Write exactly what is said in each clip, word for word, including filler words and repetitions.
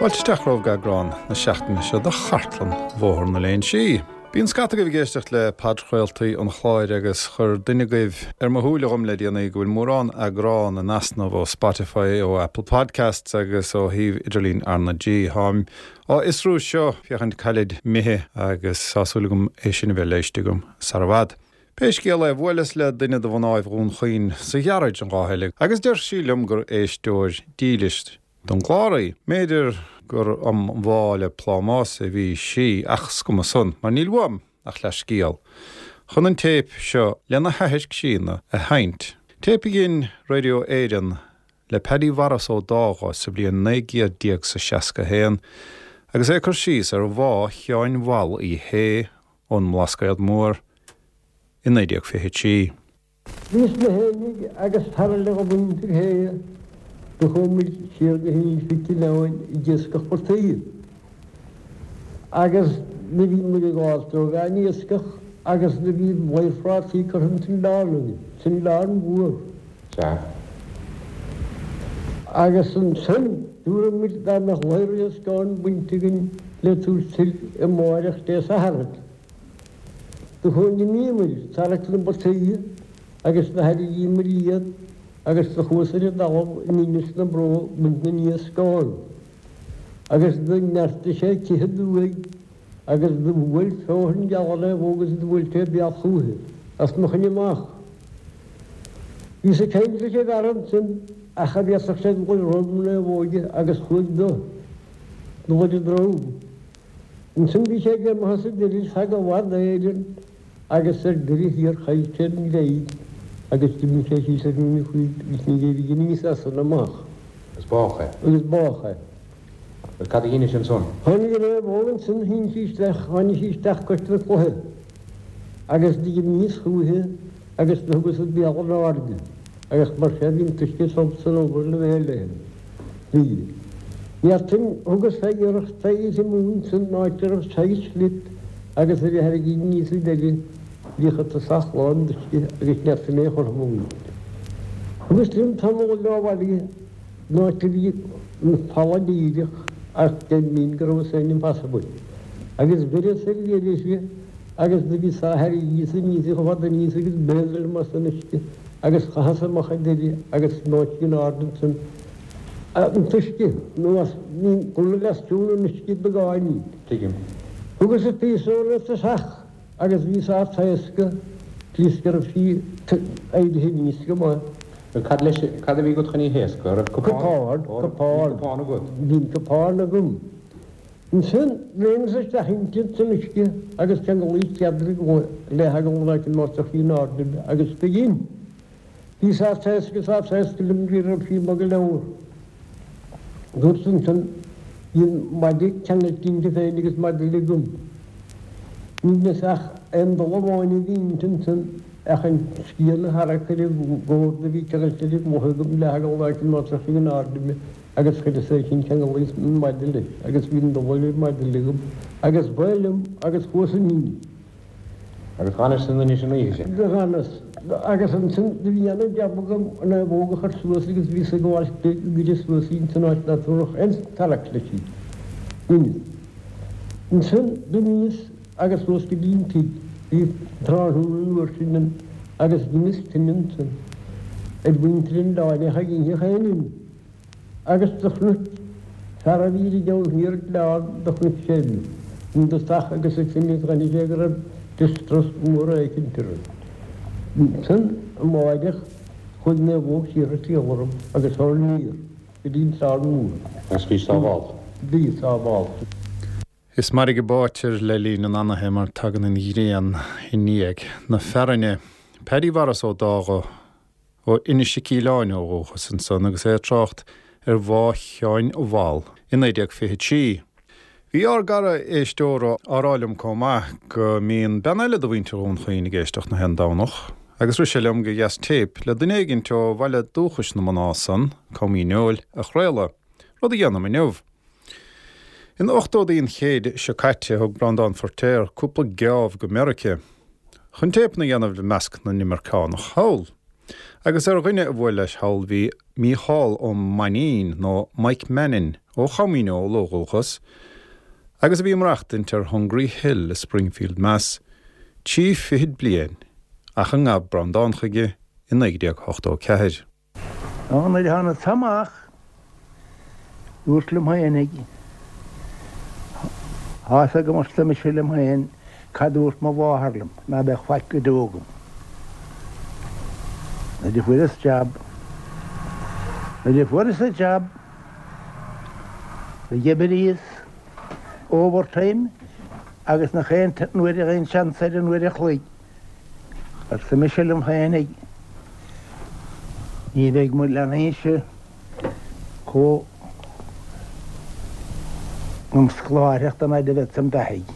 Fáilte isteach romhaibh go eagrán na seachtaine seo de Chartlann Bhóthar na Léinsí. Bíonn scata agaibh ag éisteacht le podchraoltaí an chláir agus chuir duine agaibh ar mo shúile dhom le déanaí go bhfuil mórán eagrán in easnamh ó Spotify, ó Apple Podcasts agus ó shuíomh idirlín R na G. Táim á fhiosrú seo féachaint cá bhfuilid imithe agus tá súil agam é sin a bheith léiste agam sar i bhfad. Pé scéal é bhuaileas le duine de mhnáibh Dhún Chaoin sa ghearáid an lá eile, agus deir sí liom gur éisteoir dílis don gclár í. B'fhéidir gur um bhá le plámás a bhí sí ach is cuma san, mar níl uaim ach leathscéal. Chun an téip seo lena hathair críonna a sheinnt. Téip a dhein Radio Éireann le Paddy Mhaurice Ó Dágha sa bhliain naoi gcéad déag 's a seasca haon, agus é ag cur síos ar bhá Sheáin Mhall Uí Shé ón mBlascaod Mór i naoi déag fiche trí. Bhíos mé fhéinig agus fear eile de mhuintir Shé, do chuaigh muid siar go hInis Mhic Aoláin ag iascach portaigh. Agus do bhí muid ag gabháilt ó mheán iascach agus do bhí oighear phrátaí curtha ins an oileán againn, san oileán mhór. Sea. Agus ansan dúradh muid dá mbeadh ladhar iascáin bainte againn le tabhairt soir amáireach Dé Sathairn. Do chuaigh d'imíomair ag tarrac na bpotaí agus do thairrigíomair iad agus do chuas ar an dtalamh in Inis na Bró ag baint na n-iascán. Agus do neartaigh sé cith aduaidh agus do bhuail feothan geal an naomhóg agus do bhuail sé bealach chúichi as mo choinne amach. Bhíos ag caint leis an bhfear ansin ach cha bhféadfadh sé dul ar dhroim na naomhóige agus chuaigh do dul ar a droim. Ansin bhí sé greamaithe sa deireadh feadh i bhfad Éireann agus ar deireadh thiar chaill sé an ghreim agus d'imigh sé síos ar an bhfuil agus níor éirigh aníos as san amach. Agus bádh é. Agus bádh é. Bhuel cad a dheinis ansan? Tháinig an naomhóg ansin, shín sí isteach, tháinig sí isteach cois na cloiche agus d'imíos chúichi agus do thugas an béal in airde agus mar sin bhí an t-uisce tiubh san obair le bheith léi. Bhí. Neartain, thugas fé iarracht fé oíche mhóin san áit a raibh saghas slip agus a bhí thar a gcinn níos sa deireadh, bhíodh a tosach lán d'uisce agus neartain é a chothromú. Thugas liom tamall leo abhaile in áit a bhí an falla díreach ach deimhin go raibh san impossible. Agus bheireas ar deireadh uirthi agus do bhíos á tharraingt aníos chomh fada aníos agus b'fhéidir liom as an uisce agus chaitheas amach ar deireadh agus in áit in airde ansan an t-uisce anuas, bhí cúpla leathsciúr an uisce beagáinín. Tuigim. Thugas an píosa ar tosach agus bhíos á taoscadh bhíos go raibh sí éirithe aníos go maith. Bhuel, cad leis, cad a bhí agat chun í thaoscadh? An raibh cupán? Cupán, cupán. Bhí cupán agat? Bhí an cupán agam. Ansin, léimeas isteach inti san uisce agus cheanglaíos ceadra le heagal an áit a mbeadh sí in airde agus b'shin. Bhíos á taoscadh is á taoscadh liom go raibh sí bog go leor. Dúirt ansin, bhí an maide ceangailte inti féin agus maide eile agam. Ní dheineas ach aon dul amháin a bhí inti ansin ach an scian a tharrac ar an gcórd a bhí ceangailte ar an gcloch agam le heagal an áit a mbeadh sí in airde uime agus chuireas é sin cheanglaíos an maide leis agus bhí an dul ar an maide eile agam agus ba liom agus chuas in inmhe. Agus d'fhanais san Inis an oíche sin? D'fhanas. Agus ansin do bhí ana-jab agam an naomhóg a chur suas agus bhíos ag gabháil di go gcuireadh suas í ins an áit ná tabharfadh aon tarrac leis í. Rinneas. Ansin d'imíos agus chuas go dtí an tigh. Bhí tráthnóna an uair sin ann agus dheineas tine ansin ar mhuintir an oileáin ach ag itheadh aon im. Agus do chnuic fear a bhí ar an dtaobh thiar d'oileán, do chnuic sé mé i dtosach agus ansin chonaic sé go raibh distress mór éicint orm. Ansin amáireach chuaigh naomhóg siar ag triall orm agus thar aniar go dtí an Oileán Mór. Agus bhí sábhálta. Bhí sábhálta. Is mairg a báitear le linn an anaithe mar tagann an ghrian i ndiaidh na fearthainne. Paddy Mhaurice Ó Dágha ó Inis Mhic Aoláin ó dhúchas ansan agus é ag trácht ar bhá Sheáin Mhall i naoi déag fiche trí. Bhí ár gcara éisteora á rá liom comh maith go mbíonn bean eile de mhuintir Dhún Chaoin ag éisteacht na haon Domhnach agus rith sé liom gur dheas téip le duine éigint ó bhaile dúchais na mná san, Com Dhíneol, a chraoladh, rud a dhéanaim inniu. In ochtóidí an chéid seo caite thug Breandán Feirtéar cúpla geábh go Meiriceá chun téipeanna a dhéanamh le measc na n-imirceánach thall. Agus ar dhuine a bhuail leis thall bhí Mícheál Ó Mainnín nó Mike Mannin ó Chom Eola ó dhúchas, agus a bhí ag maireachtaint ar Hungry Hill i Springfield, Mass, trí fichid bliain ach an ngabh Breandán chuige i naoi déag ochtó ceathair. Nuair a tháinig amach dúirt liom féinig Tá go mar mise liom féin cad dúirt mo mháthair liom ná beadh faic go deo agam. Nuair a fuaireas jab Nuair a fuaireas an jab d'oibríos overtime agus nach aon nuair a aon seans ar an uair a chloig. Arsa mise liom féinig ní bheidh mo leanaí chomh an scoláireacht an fhad a bheith san beathaigh.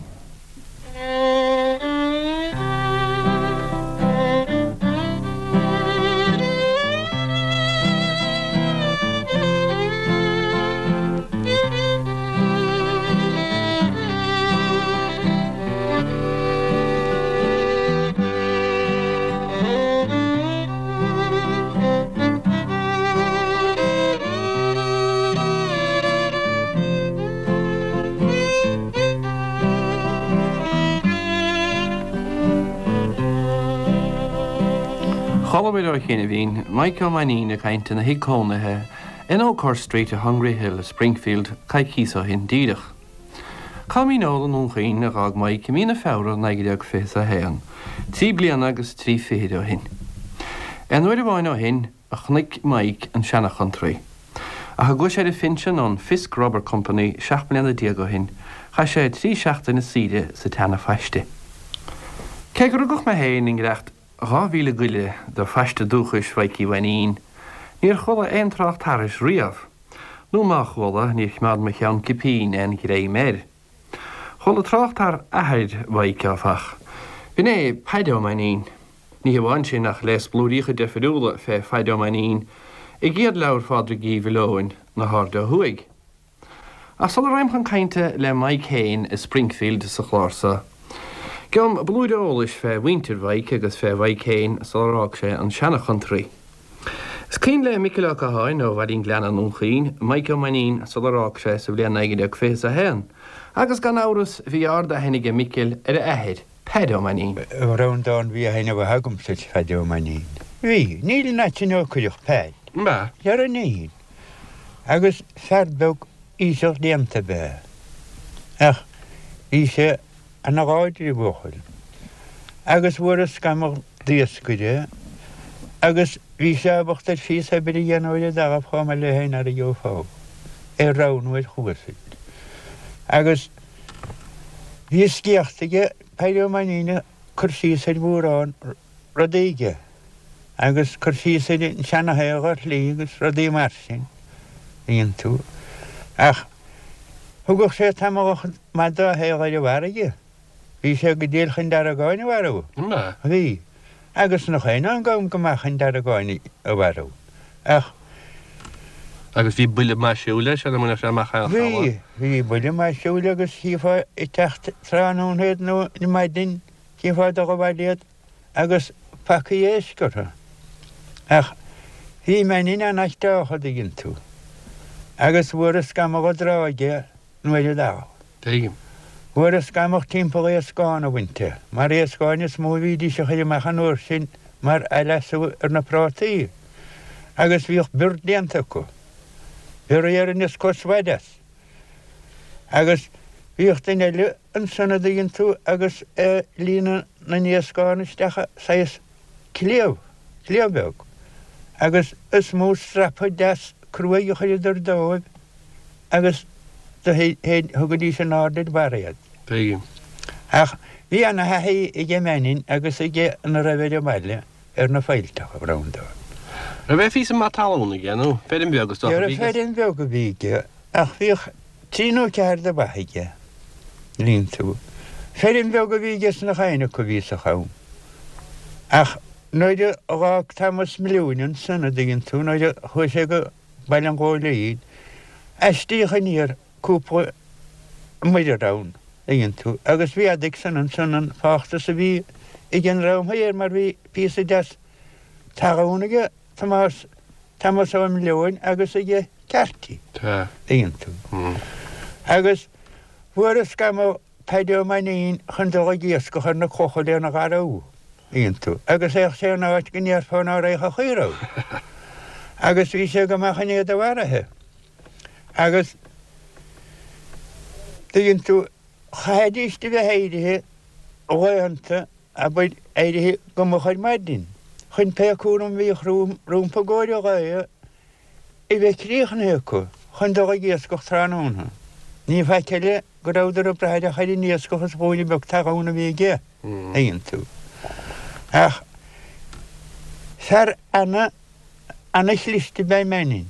Chualamar ó chianaibhín Mike Ó Mainnín ag caint ina thigh cónaithe in Oakhurst Street i Hungry Hill i Springfield coicís ó shin díreach. Com Eola i nDún Chaoin a d'fhág Mike i mí na Feabhra naoi déag fiche a haon, trí bliana agus trí fichid ó shin. Aon uair amháin ó shin a chonaic Mike an seanchontraí. Ach a gcuaigh sé ar a phinsean ón Fisk Rubber Company seacht mbliana déag ó shin, chaith sé trí seachtaine saoire sa tseana-phaiste. Cé gur rugadh mé féin i ngiorracht dhá mhíle goile do phaiste dúchais Mhaidhcí Mhainín, níor chuala aon trácht thairis riamh, nó má chuala níor choimeád mo cheann cipín aon ghreim air. Chuala trácht ar athair Mhaidhc áfach. B'in é Paid Ó Mainnín. Ní hamháin sin ach léas blúiríocha deifriúla fé Phaid Ó Mainnín i gcéad leabhar Phádraig Uí Mhiolóin na hAirde Ó Thuaidh. Ach sula ragham chun cainte le Mike féin i Springfield sa chlár seo, Gheobhaim blúire eolais fé mhuintir Mhaidhc agus fé Mhaidhc féin sular fhág sé an seanchontraí. Is cuimhin le Micil Ó Catháin ó Bhaile an Ghleanna i nDún Chaoin, Mike Ó Mainnín sular fhág sé sa bhliain naoi déag fiche a haon, agus gan amhras bhí ard-aithne aige Micil ar a athair, Paid Ó Mainnín. Breandán bhí aithne mhaith agamsa ar Phaid Ó Mainnín. Bhí, níl in áit nár cuireadh Paid. Ba. Ar an aon. Agus fear beag íseal déanta ab ea. Ach bhí sé ana-láidir buachaill. Agus fuaireas scamall d'iascaire agus bhí sé ábalta ar phíosa oibre a dhéanamh ar an dtalamh chomh maith le haon fhear a gheofá ar roghnú ar chuasaid. Agus bhí sciacht aige Paid Ó Mainnín ag cur síos ar mhórán rudaí aige agus cur síos ar an seanashaol ar shlí agus rudaí mar sin iontu. Ach thugadh sé tamall maith dá shaol ar an bhfarraige. Bhí sé go diail chun deargáin a mharú. Bhí. Agus nach aon an gam go maith chun deargáin a mharú. Ach Agus bhí buille maith siúil leis ar mbainfeadh sé amach aon Bhí, bhí buille maith siúil agus chífeá ag teacht tráthnóna iad nó maidin, chífeá ag dul abhaile iad agus pacaí éisc orthu. Ach bhí Mainín an-aisteach a dtuigeann tú. Agus fuaireas scamall i dtráigh nuair a d'fhág. Tuigim. Fuaireas scamall timpeall éascán a bhaint de, mar éascáin is mó a bhídís a chur amach an uair sin mar athleasú ar na prátaí. Agus bhíodh bior déanta acu. Bior a dhéarfainn is cos mhaith as. Agus bhíodh duine eile ansan a dtuigeann tú agus ag líonadh na n-éascán isteach saghas cliabh, cliabh beag. Agus is mó strapa deas cruaidh a chuireadar dóibh agus do thugaidís in airde ar barr iad. Tuigim. Ach bhí ana-thaithí aige Mainín agus aige ina raibh ar an mbaile ar na faillteacha, a Bhreandáin. Raibh aon phíosa maith talún aige nó feirm bheag is dócha a bhí aige? Feirm bheag a bhí aige ach bhíodh trí nó ceathair de ba aige, líon tú. Feirm bheag a bhí aige sna chain acu a bhí sa cham. Ach nuair a dh'fhág Thomas Milliún ansan a dtuigeann tú, nuair a chuaigh sé go Baile an Ghóilín, aistríodh aniar cúpla muirear ann, a dtuigeann tú, agus mhéadaigh san ansan an fáchtas a bhí ag an dream thiar mar bhí píosa deas Talún aige Tomás, Tomás Ó Mileoin agus aige Carty. Tá. Tuigeann tú. Agus fuarthas scamhadh Paddy Ó Mainnín chun dul ag iascach ar na clocha lena gharú, tuigeann tú, agus théadh sé in áit go ndéarfá ná raibh a chaoi raibh. Agus bhí sé go maith chun iad a mharaithe. Agus tuigeann tú, chaithfidís a bheith éirithe laethanta, abair, éirithe go moch ar maidin, chun pé cúram a bhíodh rompu i gcomhair an lae a bheith críochnaithe acu chun dul ag iascach tráthnóna. Ní faic eile go rabhadar ag brath ach ar an iascach is gloine beag talún a bhí aige, tuigeann tú. Ach fear ana, ana-chliste ab ea Mannin,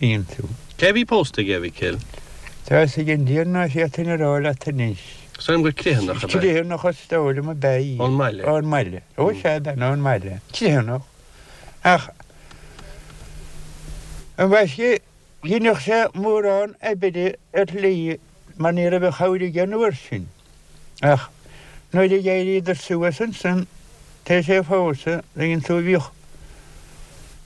tuigeann tú. Cé a bhí pósta aige, a Mhicil? Tá fhios ag an Tiarna ná féadfainn a rá leat anois. Is dóigh liom gur Criomhthanach ab ea. Criomhthanach is dóigh liom ab ea í. Ón mbaile. Ón mbaile. Ó sea, bean ón mbaile. Criomhthanach. Ach ambaiste dheineadh sé mórán oibre ar shlí mar ní raibh aon chabhair aige an uair sin. Ach nuair a d'éiríodar suas ansan, tar éis é a phósadh, tuigeann tú, bhíodh,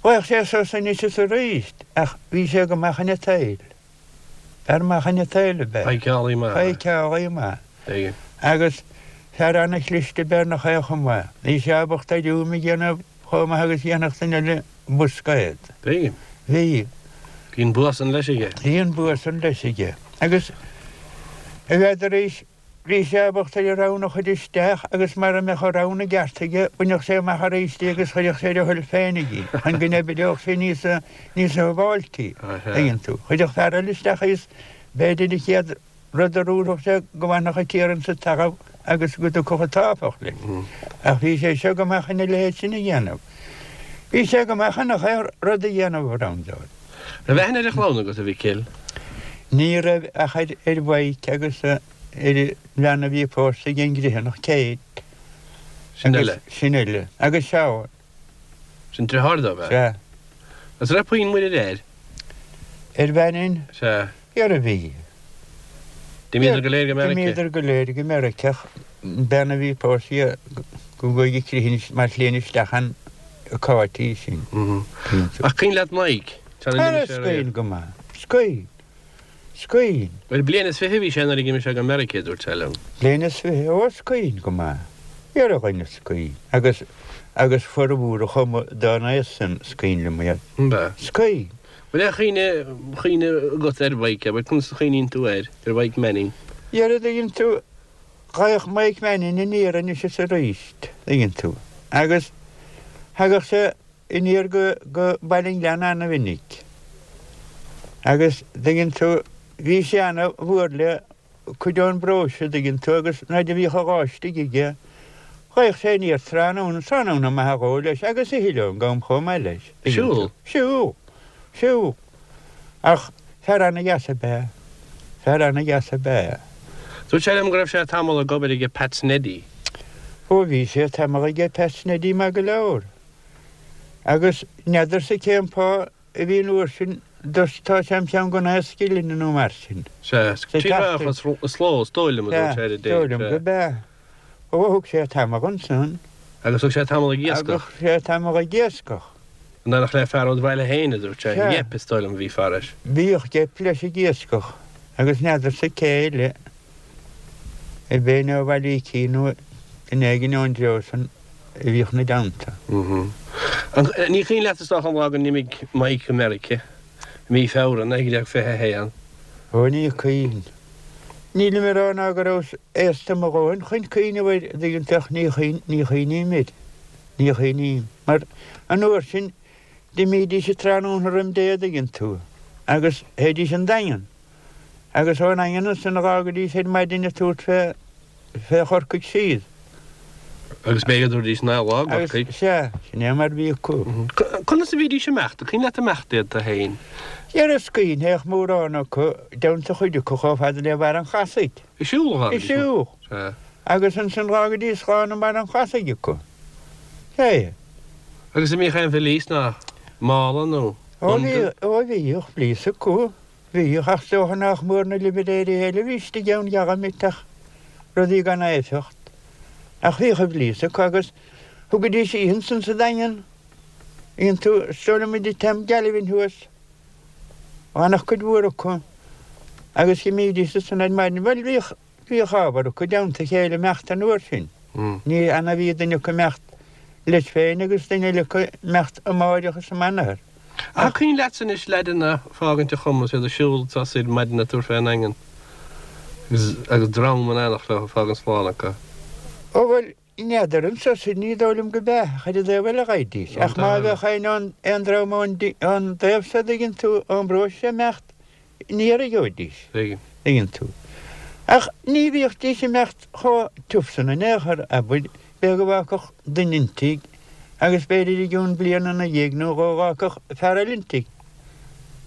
ghlaodh sé sos anois is arís ach bhí sé go maith chun an tsaoil. Fear maith chun an tsaoil ab ea. Feiceálaí maith. Feiceálaí maith. Tuigim. Agus fear ana-chliste ab ea ar ndóigh é chomh maith. Bhí sé ábalta ar úim a dhéanamh chomh maith agus a dhéanfadh duine eile boscaod. Tuigim. Bhí. Bhí an bua san leis aige. Bhí an bua san leis aige. Agus n'fheadar arís, bhí sé ábalta ar an rann a chur isteach agus mara mbeadh an rann i gceart aige, bhainfeadh sé amach arís í agus chuirfeadh sé ar a thoil féinig í, chun go n-oibreodh sé níos níos sábháiltí, tuigeann tú. Chuirfeadh fear eile isteach í is b'fhéidir an chéad rud a dhúrfadh sé go bhfanfadh an t-iarann sa talamh agus go dtiocfadh an t-áfach leis. Ach bhí sé seo go maith chun a leithéid sin a dhéanamh. Bhí sé go maith chun achan rud a dhéanamh, a Bhreandáin. Raibh aithne ar a chlann agat, a Mhicil? Ní raibh ach ar Mhaidhc agus ar an bhean a bhí pósta ag an gCriomhthanach, Kate. Sin eile. Sin eile. Agus Seán. Sin deartháir dó, ab ea? Sea. Agus raibh puinn muirir air? Ar Mhainín? Sea. Dhera bhí. D'imíodar go léir go Meiriceá? D'imíodar go léir go Meiriceá ach an bean a bhí pósta aige go gcuaigh Criomhthanach mar shloinne isteach an Cáit í sin. Ach cuimhin leat Mike? Ara is cuimhin go maith. Is cuimhin. Is cuimhin. Bhuel, bliain is fiche a bhí sé nuair a d'imigh sé go Meiriceá, a dúirt sé liom. Bliain is fiche? Ó, is cuimhin go maith. Dhera a dhuine is cuimhin. Agus, agus formhór a chuma dá n-aos san, is cuimhin liom iad. An ea? Is cuimhin. Bhfuil aon chuimhne, chuimhne agat ar Mhike, abair, conas a chuimhníonn tú air, ar Mhike Manning? Dhera, dtuigeann tú, ghlaodh Mike Manning aniar anois is arís, dtuigeann tú. Agus thagadh sé aniar go, go Baile an Ghleanna ana-mhinic. Agus, dtuigeann tú, bhí sé ana-mhór le cuid ón bparóiste, dtuigeann tú, agus nuair a bhíodh a dhá istigh aige, ghlaodh sé aniar tráthnóna, tráthnóna maith a dhó leis, agus a thuilleadh agam chomh maith leis, dtuigeann tú. Siúl? Siúl. Siúl. Ach fear ana-dheas ab ea. Fear ana-dheas ab ea. Dúirt sé liom go raibh sé tamall ag obair aige Pat Sneddy. Ó bhí sé tamall aige Pat Sneddy maith go leor. Agus n'fheadarsa cén fáth a bhí an uair sin d'fhostódh sé am cheann den aos scileanna nó mar sin. Sea, trí ráithe is sló, is dóigh liom, a dúirt sé ar an Sea, is dóigh liom dtéip. gurb ea. Ó thug sé tamall ansan. Agus thug sé tamall ag iascach. Agus thug sé tamall ag iascach. In éineacht le fear ón bhaile féin, a dúirt sé. Sea. Gep, is dóigh liom, a bhí fairis. Bhíodh Gep leis ag iascach agus n'fheadarsa cé eile a b'é nó Bhaile Ícín nó duine éigin ón dtreo san a bhíodh 'na dteannta. Ní cuimhin leat is dócha an lá go n-imigh Mike go Meirice, i mí Feabhra naoi déag fiche a haon? Ó ní cuimhin. Nílim ag rá ná go rabhas aosta mo dhóthain chun cuimhneamh air, an dtuigeann tú, ach ní chuimhn, ní chuimhním air. Ní chuimhním. Mar an uair sin d'imídís an tráthnóna roim Dé, an dtuigeann tú, agus théidís an Daingean. Agus ón nDaingean ansan dh'fhágaidís ar maidin ag tabhairt fé, fé Chorcaigh siar. Agus b'fhéidir go dtabharfaidís naoi lá i gCorcaigh. Agus, sea, sin é mar a bhí acu. Conas a bhídís ag imeacht? An cuimhin leat imeacht iad tú féin? Dhera is cuimhin, théadh mórán acu, dteannta chuid acu chomh fada le Barr an Chlasaigh. Ag siúl a Ag siúl. Sea. Agus ansan dh'fhágaidís slán i mBarr an Chlasaigh acu. Sea. Agus an mbíodh aon bhilís ná mála nó Ó bhí, bundle? ó bhíodh bhilís acu. Bhíodh, ach is dócha nách mór na limiléirí eile a bhí istigh ann dheamhan ach rudaí gan éifeacht. Ach bhíodh a bhilís acu agus thugaidís oíche ansan sa Daingean. Dtuigeann tú, is dóigh liom an t-am Galvin thuas. Bhainfeadh cuid mhór acu agus d'imídís ansan ar maidin. Bhuel, bhíodh, bhíodh ábhar acu i dteannta a chéile imeacht an uair sin. Ní annamh a bhí duine acu imeacht leis féin agus duine eile acu imeacht amáireach is amanathar. Ach cuimhin leatsa anois leaideanna fágaint an Choma is iad ag siúl soir maidin ag tabhairt fén nDaingean agus agus dream in éineacht leo ag fágaint slán acu. Ó bhuel, n'fheadar anso soir, ní dóigh liom go b'ea, ach ar an dtaobh eile ghaibhdís. Ach má bheadh aon aon dream ón ón dtaobh so dtuigeann tú, ón bparóiste imeacht, ní gheobhaidís, dtuigeann tú. Ach ní bhíodís imeacht chomh tiubh san in aon chor, abair, b'fhéidir go bhfágfadh duine an tigh agus b'fhéidir i gcionn bliana ina dhiaidh nó dhó dh'fhágfadh fear eile an tigh.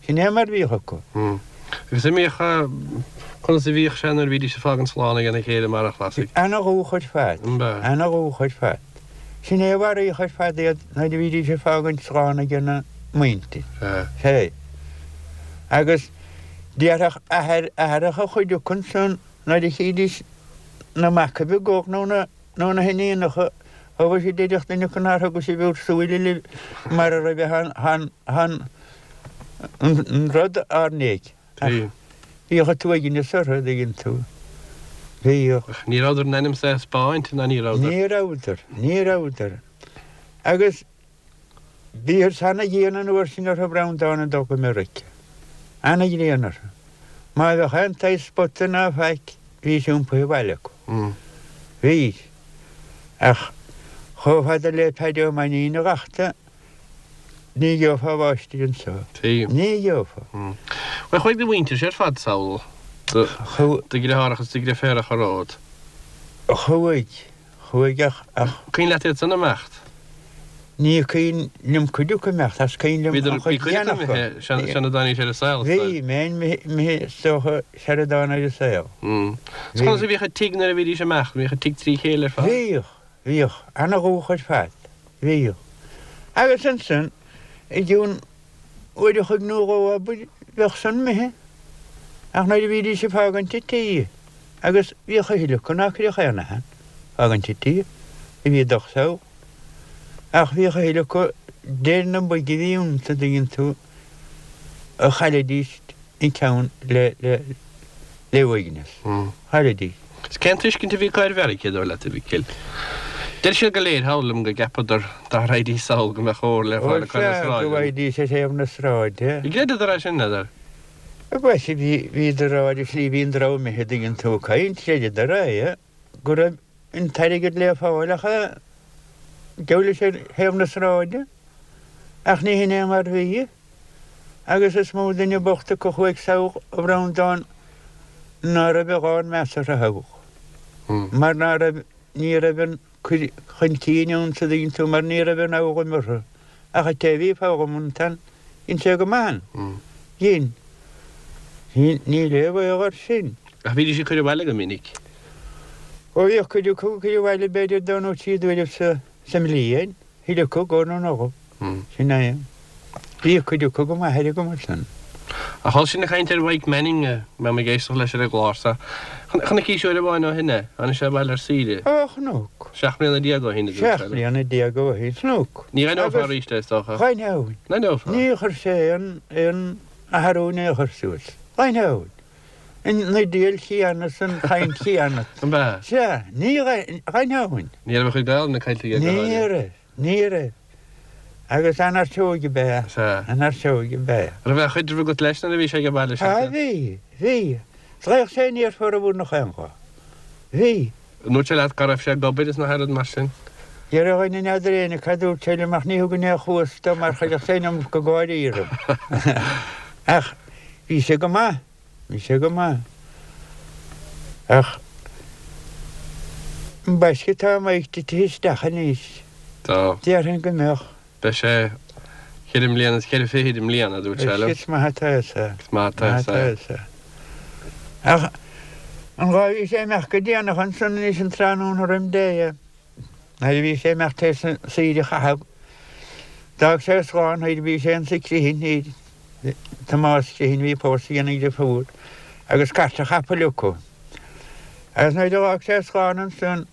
Sin é mar bhíodh acu. Agus an mbíodh, conas a bhíodh sé nuair a bhídís ag fágaint slán ag a chéile mar a Chlasaigh? Ana-dhúch ar fad. Ana-dhúch ar fad. Sin é a mharaíodh ar fad iad nuair a bhídís ag fágaint slán ag an muintir. Sea. Agus déarfadh athair, athaireacha chuid acu ansan nuair a chídís na macaibh ag gabháil nó na, nó na hiníonacha, ó bhí siad déarfadh duine acu nár thuga sibh bhur súile libh mara raibh an, an, an rud ár ndiaidh. Ach bhíodh an t-uaigneas orthu, an dtuigeann tú. Bhíodh. Ach ní rabhadar in ainm is é a 'spáint, ná ní rabhadar. Ní rabhadar, ní rabhadar. Agus bhíothas ana-dhian an uair sin orthu Breandán ag dul go Meiriceá. Ana-dhian orthu. Má bheadh aon tsaghas spota ná faic, bhí sé iompaithe abhaile acu. Bhí. Ach chomh fada le Paddy Ó Mainnín a dh'fhachta, Ní gheofá máistir anseo. Ní gheofá. Bhuel, chuaigh do mhuintirse ar fad sall, do dheartháireacha is do dheirféaracha romhat. Chuaigh. Chuaigh ach, ach. Cuimhin leat iad san imeacht? Ní cuimhin liom cuid acu imeacht, ach is cuimhin liom an chuid Bhí cuid acu imithe, sara dtáinís ar an saol, is dóigh. Bhí, imithe, is dócha, sara dtáinig ar an saol. Is conas a bhíodh an tigh nuair a bhídís imeacht? Bhíodh an tigh trí chéile ar fad? Bhíodh. Bhíodh. Ana-dhúch ar fad. Bhíodh. Agus ansan, i gcionn uair a chloig nó dhó, abair, bheadh san imithe. Ach nuair a bhídís ag fágaint an tí, agus bhíodh a thuilleadh acu ná cuirfeadh aon aithin, fágaint an tí, a bhí ag dul sall. Ach bhíodh a thuilleadh acu, deir na boige a bhí iontu, an dtuigeann tú, a chaillidís an ceann le, le, le uaigneas. Chaillidís. Is cén tuiscint a bhí acu ar Mheiriceá, dóigh leat, a Mhicil? Deir siad go léir, thall liom, go gceapadar dá raghaidís sall go mbeadh ór le fáil acu ar na Ó sea, go sráideanna. bhfaighidís ar thaobh na sráide. Ar chreideadar é sin, n'fheadar? Bhuel, bhí, bhíodar á, ar an slí, bhí an dream imithe, an dtuigeann tú, ag caint, chreideadar é, go raibh an t-airgead le fáil ach gabh leis ar thaobh na sráide. Ach ní hin é mar bhí. Agus is mó duine bocht acu a chuaigh sall, a Bhreandáin, ná raibh a dhán measartha thogha. Mar ná raibh, ní raibh an cur chun cinn ann sa dtuigeann tú, mar ní raibh an fhoghlaim orthu. Ach an té a bhí foghlamtha ansan, dhein sé go maith ann. Dhein. Níl aon bhaol air sin. Ach bhídís ag cur abhaile go minic. Ó bhíodh cuid acu ag cur abhaile b'fhéidir dó nó trí d'uairibh sa mbliain. Thuilleadh acu go nó nó. Sin é. Bhíodh cuid acu go maith ar an gcuma san. Ach chuala sinn ag caint ar Mhaidhc Manning, mé ag éisteacht leis ar an gclár so. Chonaicís uair amháin ó shin é. Tháinig sé abhaile ar saoire. Ó, chonac. Seacht mbliana déag ó shin, a dúirt sé Seacht mbliana déag ó shin. Chonac. Ní aithneofá arís é, is dócha. Dh'aithneoinn. N-aithneofá? Níor chuir sé aon, aon athrú in aon chor suas. Dh'aithneoinn. An idéal chéanna is an chaint chéanna. An b'ea? Sea. Ní dh'aithneoinn. Ní raibh a chuid Gaelainne caillte aige go Ní háirithe. raibh. Ní raibh. Agus an-fhear ab ea. Sea. An-fhear ab ea. Raibh aon chaidreamh agat leis nuair a bhí sé ag baile Ah, bhí. Bhí. Ghlaodh sé aniar formhór nach aon lá. Bhí. An ndúirt sé leat cá raibh sé ag obair is na rud mar sin? Deir a dhuine n'fheadar éinne cad dúirt sé liom ach ní thugainn aon chluas dó mar chuirfeadh sé an iomarca gáirí orm. Ach bhí sé go maith. Bhí sé go maith. Ach ambaiste tá Mike titithe isteach anois. Tá. Déarfainn go mbeadh. Beidh sé ceithre mbliana is ceithre fichid i mbliana, a dúirt sé liom. Is maith atá fhios a'. Is maith atá fhios a'. Ach an lá a bhí sé imeacht go déanach ansan anois an tráthnóna roim Dé, nuair a bhí sé imeacht théis an saoire a chaitheamh, d'fhág sé slán thoir, bhí sé insa Criomhthain thoir, Tomás Criomhthain a bhí pósta ag a dheirfiúr agus cairt chapaill acu. Agus nuair a d'fhág sé slán ansan,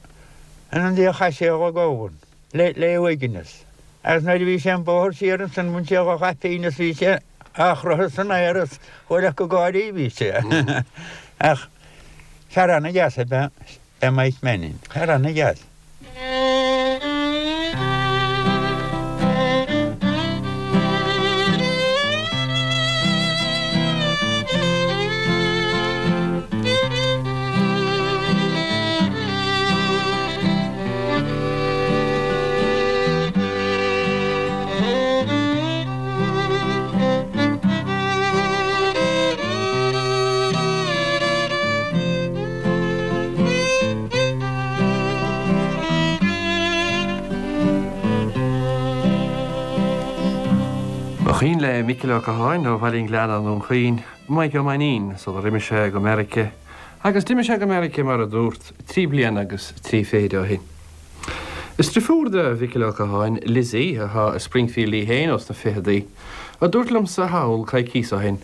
in an ndiaidh chaith sé a ghabhann le le uaigneas. Agus nuair a bhí sé an bóthar siar ansan bhain sé dhá chaipín is bhí sé á chroitheadh san aer is chuile go gáirí bhí sé. Ach fear ana-dheas ab ea é Mike Mannion, fear ana-dheas. Ba chuimhin le Micil Ó Catháin ó Bhaile an Ghleanna i nDún Chaoin, Mike Ó Mainnín, sular imigh sé go Meirice, agus d'imigh sé go Meirice mar a dúrt, trí bliana agus trí fichid ó shin. Is deirfiúr de Mhicil Ó Catháin, Lizzie, atá i Springfield í féin ós na ficheadaí, a dúirt liomsa thall coicíos ó shin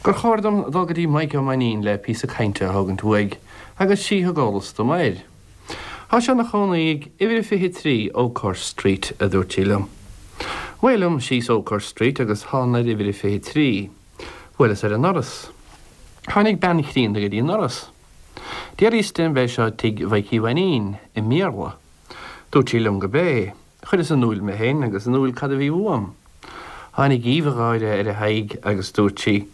gur chóir dom dul go dtí Mike Ó Mainnín le píosa cainte a thógaint uaidh, agus sí thug eolas dom air. Tá sé ina chónaí ag uimhir a fiche trí Oakhurst Street, a dúirt sí liom. Away liom síos Oakhurst Street agus thánag ar uimhir a fiche trí. Bhuaileas ar an ndoras. Tháinig bean chríonna go dtí an doras. D'fhiafraíos di an b'é seo tigh Mhaidhcí Mhainín, i mBéarla. Dúirt sí liom gurb é. Chuireas in iúl mé féin agus in iúl cad a bhí uaim. Tháinig aoibh gháire ar a haghaidh agus dúirt sí,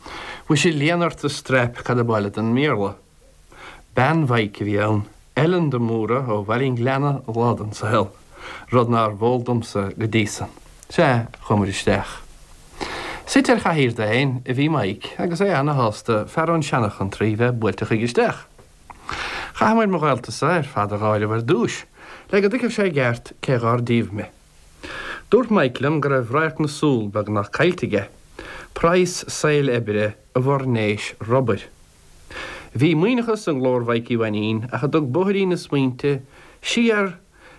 Mhuise léan ort a straip cad ab áil leat i mBéarla. Bean Mhaidhc a bhí ann, Ellen de Mórdha ó Bhaile an Ghleanna lá den saol, rud nárbh eol domsa go dtí san. Sea, chuamar isteach. Suite ar chathaoir dó féin a bhí Mike agus é ana-shásta fear ón seanachontraí bheith buailte chuige isteach. Chaitheamair mo ghaolta-sa ar fad a dh'áireamh ar dtúis, le go dtuigfeadh sé i gceart cé dhár díobh mé. Dúirt Mike liom go raibh radharc na súl beagnach caillte aige, praghas saoil oibre i bhfoirnéis rubair. Bhí maoithneachas i nglór Mhaidhcí Mhainín ach a dtug bóithrín na smaointe siar,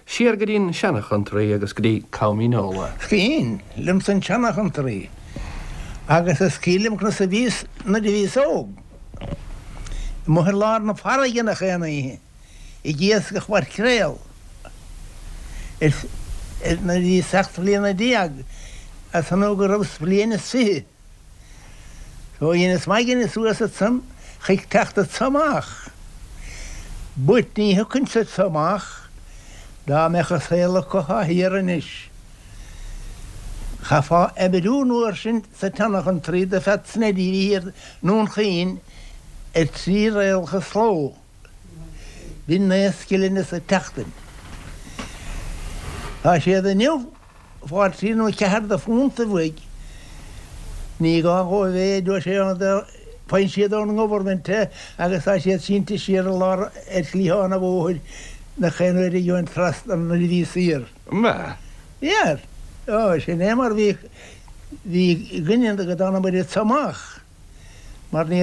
siar go dtí an seanachontraí agus go dtí Com Fhíneola. Is cuimhin liomsa an tseanachontraí agus is cuimhin liom conas a bhíos nuair a bhíos óg. Amuigh ar lár na farraige nach aon oíche, ag iascach maircréal. Is nuair a bhíos seacht mbliana déag, as an go rabhas bliain is fiche. So dheineas m'aigne suas ansan chuig teacht anso amach. But ní thiocfainnse anso amach dá mbeadh an saol acu atá thiar anois. Chaithfeá oibriú an uair sin sa tseanchontraí do Phat Sneddy a bhí thiar i nDún Chaoin ar trí réalcha sa ló. B'in naoi scillinge sa tseachtain. Tá siad inniu ag fáil trí nó ceathair de phuntaibh uaidh. Ní gá dhóibh é, a deir sé, faigheann siad ón ngovernment é agus tá siad sínte siar i lár ar chliathán an bhóthair nach aon uair a gheobhainn trasna nuair a bhíos saor. Mba. Fhear. Ó, sin é mar bhí, bhí againne go dtánamair anso amach mar ní,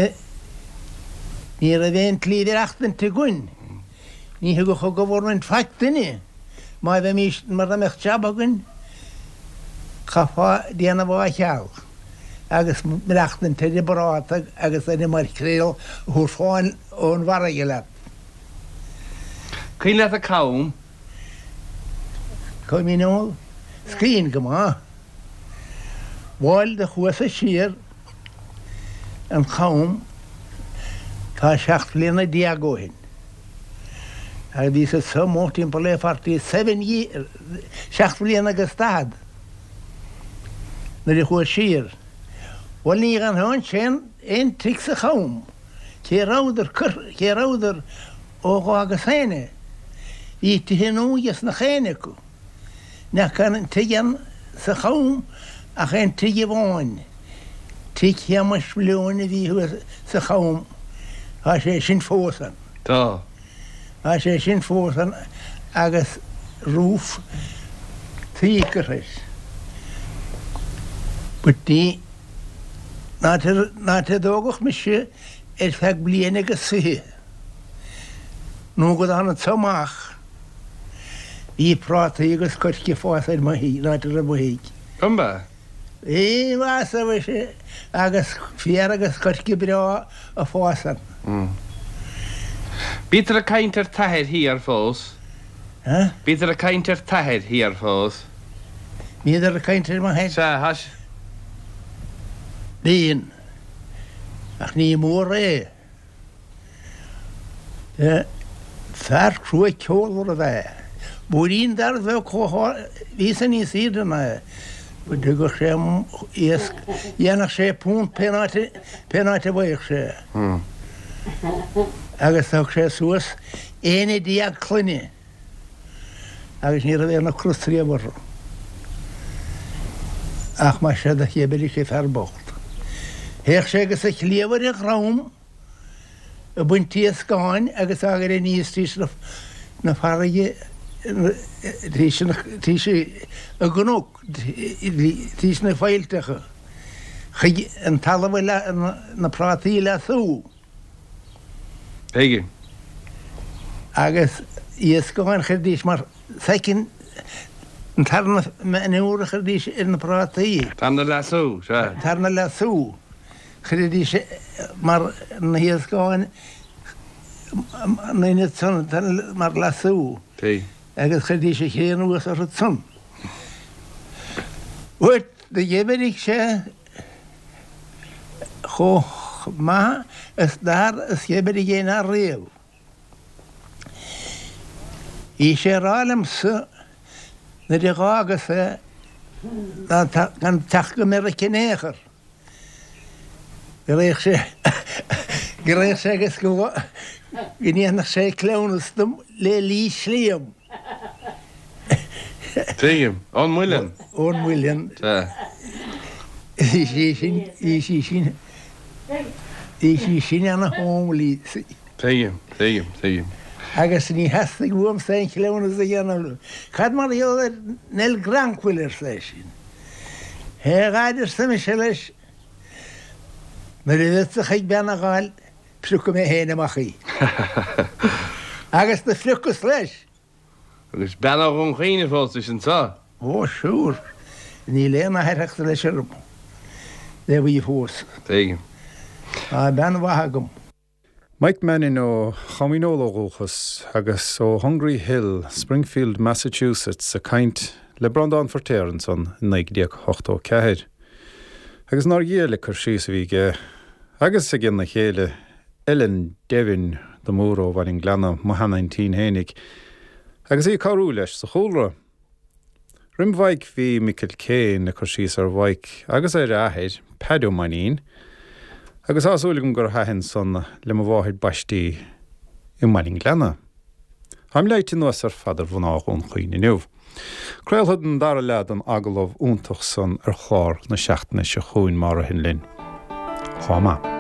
ní raibh aon tslí mhaireachtaint againn. Ní thugadh an government faic duinne. Má bheimís, mura mbeadh jab againn, chaithfeá déanamh á cheal agus maireachtaint ar an bpráta agus ar an maircréal a thabharfá ón bhfarraige leat. Cuimhin leat an Cam? Com Fhíneol? Is cuimhin go maith. Bhuel, do chuas-sa siar an Cham tá seacht mbliana déag ó shin. Agus bhíos anso amuigh timpeall le forty seven years, seacht mbliana agus daichead nuair a chuas siar. Bhuel, ní dhéanfá ansin aon tigh sa Cham, cé rabhadar curtha, cé rabhadar ó dh'fhágas féin é. Bhí tithe nua ages nach éinne acu. Nach aon tigh ann sa Cham ach aon tigh amháin, tigh Shéamais Mhalone a bhí thuas sa Cham, tá sé sin fós ann. Tá. Tá sé sin fós ann agus roof tuí curtha air. But ní, an áit, an áit a dtógadh mise ar feadh bliain agus fiche nó go dtána anso amach, bhí prátaí agus coirce ag fás ar mo thigh, an áit a raibh mo thigh. An b'ea? Bhí, bhí, sea mhuise, agus féar agus coirce breá ag fás ann. Bítear ag caint ar t'athair thiar fós. Huh? Bítear ag caint ar t'athair thiar fós. Bhíodar ag caint ar mo Sea, thais. Bíonn. Ach ní mór é. Fear crua ceolmhar ab ea é. Múirín dearg bheag chomh Bhí sé níos aoirde ná é. Dtugadh sé iasc, dhéanfadh sé punt pén áit pén áit a bhfaigheadh sé. Agus thug sé suas aon déag clainne agus ní raibh aon ocras riamh orthu. Ach mar sin do dhíbrigh sé fear bocht. Théadh sé agus a chliabh ar a dhrom ag baint iascáin agus á gcur aníos tríd na farraige tríd an gcnoc, tríd na faillteacha chuig an talamh na prátaí a leasú. Tuigim. Agus iascáin chuiridís mar second an tarna manure a chuiridís ar na prátaí. Tarna leasú, sea. Tarna leasú. Chuiridís mar na hiascáin na ionad san mar leasú. Tuigim. Agus chuiridís a chré anuas orthu san. Bhuel, do dhíbrigh sé chomh maith is d'fhear is dhíbrigh aon fhear riamh. Bhí sé ag rá liomsa nuair a dh'fhágas é gan teacht go Meiriceá in aon chor. Go raghadh sé go raghadh sé agus go go ndéanfadh sé cleamhnas dom le Lís Liam. Tuigim. Ón Muileann. Ón Muileann. Sea. Bhí sí sin, bhí sí sin, bhí sí sin ana homely. Tuigim, tuigim, tuigim. Agus ní theastaigh uaimse aon chleamhnas a dhéanamh. Cad mar gheall ar Nell Granquil, arsa eisean. Hé a Dhaid, arsa mise leis, nuair a bheadsa chuig bean a dh'fháil, piocfaidh mé féin amach í. Agus do phiocas leis. Agus bean ó Dhún Chaoin a phósais anso? Ó, sure. Níl aon athairtheacht leis orm le bhí fós. Tuigim. Tá bean mhaith agam. Mike Mannion ó Chom Dhíneol ó dhúchas agus ó Hungry Hill, Springfield, Massachusetts ag caint le Breandán Feirtéar ansan i naoi déag ochtó ceathair. Agus nár ghéill cur síos a bhí aige agus ag ina chéile Ellen Devin de Mór ó Bhaile an Ghleanna, mo sheanaintín fhéinig, agus í ag cabhrú leis sa chúlra. Roimh Mhaidhc bhí Michael Kane ag cur síos ar Mhaidhc agus ar a athair, Peaid Ó Mainnín, agus tá súil agam gur thaitin san le mo mháthair baistí i mBaile an Ghleanna. Táim leáite anuas ar fad ar mhná Dhún Chaoin inniu. Craolfad an dara leath den agallamh iontach san ar chlár na seachtaine seo chugainn má ritheann linn. Lá maith.